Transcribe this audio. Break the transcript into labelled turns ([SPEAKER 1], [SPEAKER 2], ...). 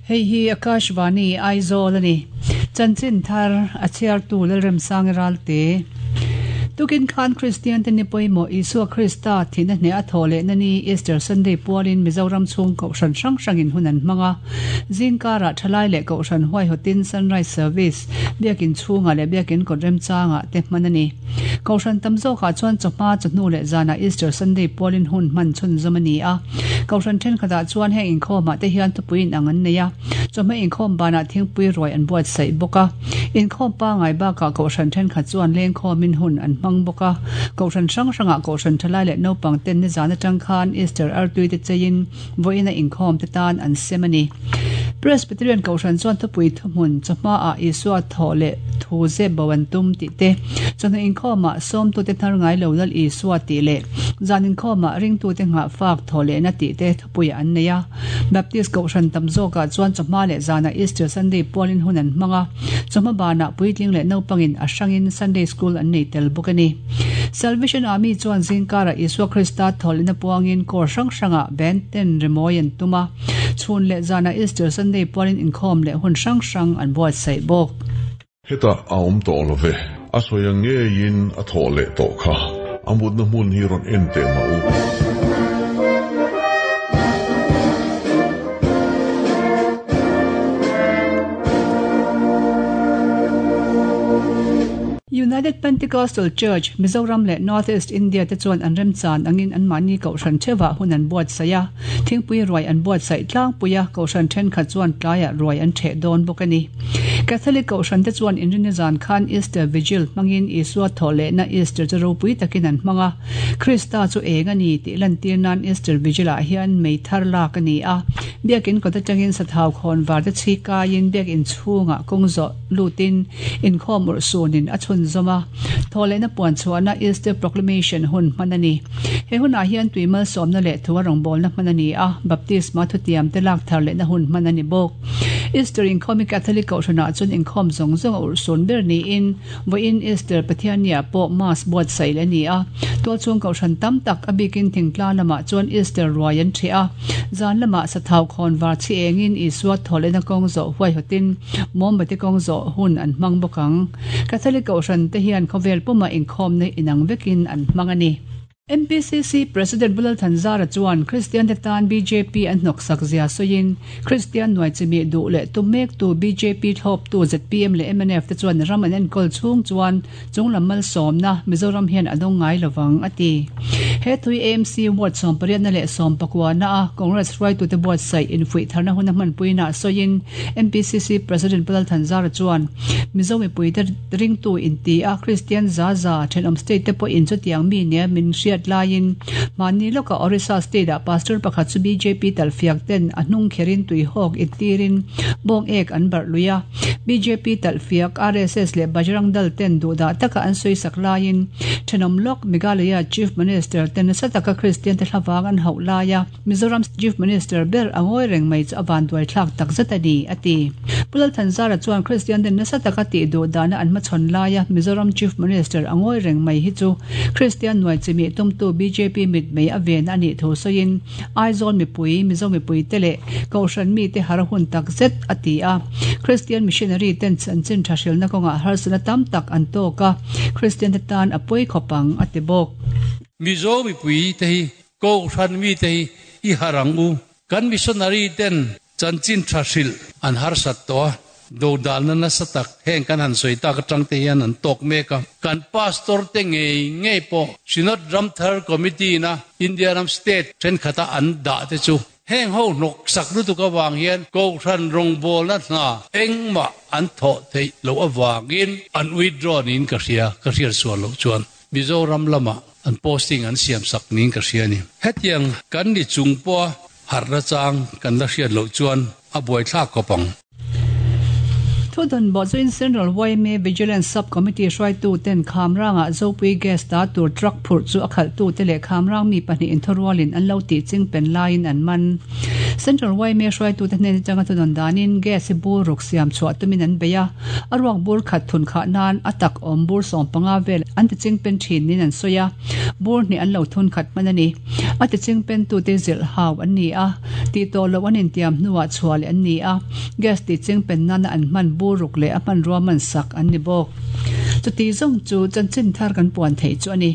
[SPEAKER 1] Hei hi Akashvani Aizawl a ni. Chanchin thar a chhiartu Lalremsangi Ralte. Tukin khan Kristian te ni pawimawh Isua Krista thihna hneh a thawh lehna ni Easter Sunday pualin Mizoram chhung Kohhran hrang hrangin hun an hmang a. Zingkarah thalai leh Kohhran huaihawtin Sunrise Service, Biakin chhungah leh Biakin kawt remchangah te hman a ni. Kohhran tam zawkah chuan chawhma, chawhnu leh zanah Easter Sunday pualin hun hman chhunzawm a ni a. Kohhran thenkhatah chuan heng inkhawmah te hian thupui inang an nei a, chawhma inkhawm banah thingpui ruai an buatsaih bawk a. Inkhawm pangai bakah Kohhran thenkhat chuan lengkhawmin hun an hmang bawk a. Kohhran hrang hrangah Kohhran thalai leh naupang ten nizan atang khan Easter artui te cheiin vawiina inkhawm te tan an sem a ni. Presbyterian Kohhran chuan thupui thuhmun chawhmaah Isua thawh leh thu zep bo an tum tih te, chawhnu inkhawmah sawmtute hnar ngai lo Lal Isua tih leh zan inkhawmah ringtute nghahfak thawh lehna tih te thupuiah an nei a. Baptist Kohhran tam zawkah chuan chawhma leh zanah Easter Sunday pualin hun an hmang a, chawhma banah puitling leh naupangin a hrangin Sunday School an nei tel bawk a ni. Salvation Army chuan zingkarah Isua Krista thawhlehna puangin kawr hrang hrangah band ten rimawi an tum a, chhun leh zanah Easter Sunday pualin inkhawm leh hun hrang hrang an buatsaih bawk.
[SPEAKER 2] Hetah a awm tawh lo ve. A sawi ang ngeiin a thawh leh tawh kha. A mutna hmun hi rawn en teh mah u.
[SPEAKER 1] United Pentecostal Church, Mizoram leh North East India te chuan an remchan angin anmahni kohhran theuhah hun an buatsaih a, thingpui ruai an buatsaih tlangpui a, kohhran thenkhat chuan tlaiah ruai an theh dawn bawk a ni. Catholic kohhran te chuan inrinni zan khan Easter Vigil hmangin Isua thawh lehna Easter chu ropui takin an hmang a, Krista chu eng a ni tih lantir nan Easter Vigil-ah hian mei thar lak a ni a, biakin kawt atangin sathau khawn var te chhi kaiin biakin chhungah kawng zawh lutin inkhawm urhsunin a chhunzawm a, thawhlehna puan chhuahna Easter Proclamation hun hman a ni. He hunah hian tui malsawmna leh thu a rawngbawlna hman a ni a, baptisma thutiam te lak thar lehna hun hman a ni bawk. Easter inkhawm hi Catholic Kohhranah chuan inkhawm zawng zawng a urhsun ber niin vawiin Easter Pathianniah pawh Mass buatsaih leh a ni a. Tualchhung Kohhran tam tak a bikin thingtlang lamah chuan Easter ruai an ṭheh a, zan lamah sathau khawn var chhi engin Isua thawhlehna kawng zawh huaihawtin Mawmbati kawng zawh hun an hmang bawk ang. Catholic Kohhran te hian khawvel pumah inkhawmna inang vekin an hmang a ni. MPCC President Pu Lalthanzara chuan Kristian te tan bjp an hnawksak zia sawiin, Kristian nuai chimih duh leh tum mektu bjp thlawptu zpm leh mnf te chuan ram an enkawl chhung chuan chunglam malsawmna Mizoram hian a dawng ngai lovang, a ti. He thui AMC Ward sawmpariatna leh sawmpakuana a Congress hruaitute buatsaih infuih tharna huna hmanpuinaah sawiin MPCC President Pu Lalthanzara chuan Mizo mipuite Ringtu inti a, Kristian za za thenawm state te pawhin chutiang mi nia min hriat laiin mahni lawkah Orissa state ah pastor pakhat chu bjp talhfiak ten a hnung kherin tuihawk intirin bawng ek an barh lui a. Bjp talhfiak RSS leh Bajrang Dal ten duhdah taka an sawisak laiin thenawm lawk Meghalaya Chief Minister ten nasa taka Kristian te hlavang an hauh laia Mizoram Chief Minister ber a ngawi reng mai chu a vanduai thlak tak zet a ni, a ti. Pu Lalthanzara chuan Kristian ten nasa taka tih duh dana an hmachhawn laia Mizoram Chief Minister a ngawi reng mai hi chu Kristian nuai chimih tumtu bjp mitmei a ven a nih thu sawiin Aizawl mipui, Mizo mipuite leh Kohhran mite har hun tak zet, a ti a. Kristian missionary ten chanchin tha hrilna kawngah harsatna tam tak an tawk a, Kristian te tan a pawi khawp ang, a ti bawk.
[SPEAKER 3] Mizo mipui te hi Kohhran mite hi i harh ang u. Kan missionary ten chanchin tha hrilh an harsat tawh a, dodalna nasa tak heng kan han sawi tak atang te hian an tawk mek a. Kan pastor te ngei ngei pawh Synod Ramthar Committee na India ram state thenkhata an dah te chu heng ho hnawksak lutuk avang hian Kohhran rawngbawlna hna engmah an thawh theih loh avangin an withdraw niin ka hria, ka hriat sual loh chuan. Mizoram lamah an posting an siam sak niin ka hria a ni. Hetiang kan ni chung pawha harhna chang kan la hriat loh chuan a buaithlak khawp ang.
[SPEAKER 1] Thudawn bawhzuiin Central yma Vigilance Sub Committee hruaitu ten Khamrangah Zopui Gas ta tur truck phurh chu a khalhtute leh Khamrang mi pahnih inthurualin an lo tih ching pen laiin an man. Central yma hruaitute hnen atanga thudawn danin gas hi bur ruk siam chhuah tumin an bei a, A ruak bur khat thun khah nan a tak awm bur 15 vel an ti ching pen thin niin an sawi a. Bur hnih an lo thun khat hman a ni. A tiching pentute zilh hau an ni a, tih tawh loh an intiam hnuah chhuah leh an ni a, gas tihching pen nana an hman bur ruk leh a hmanrua man sak an ni bawk. Chuti zawng chu chanchin thar kan puan theih chu a ni.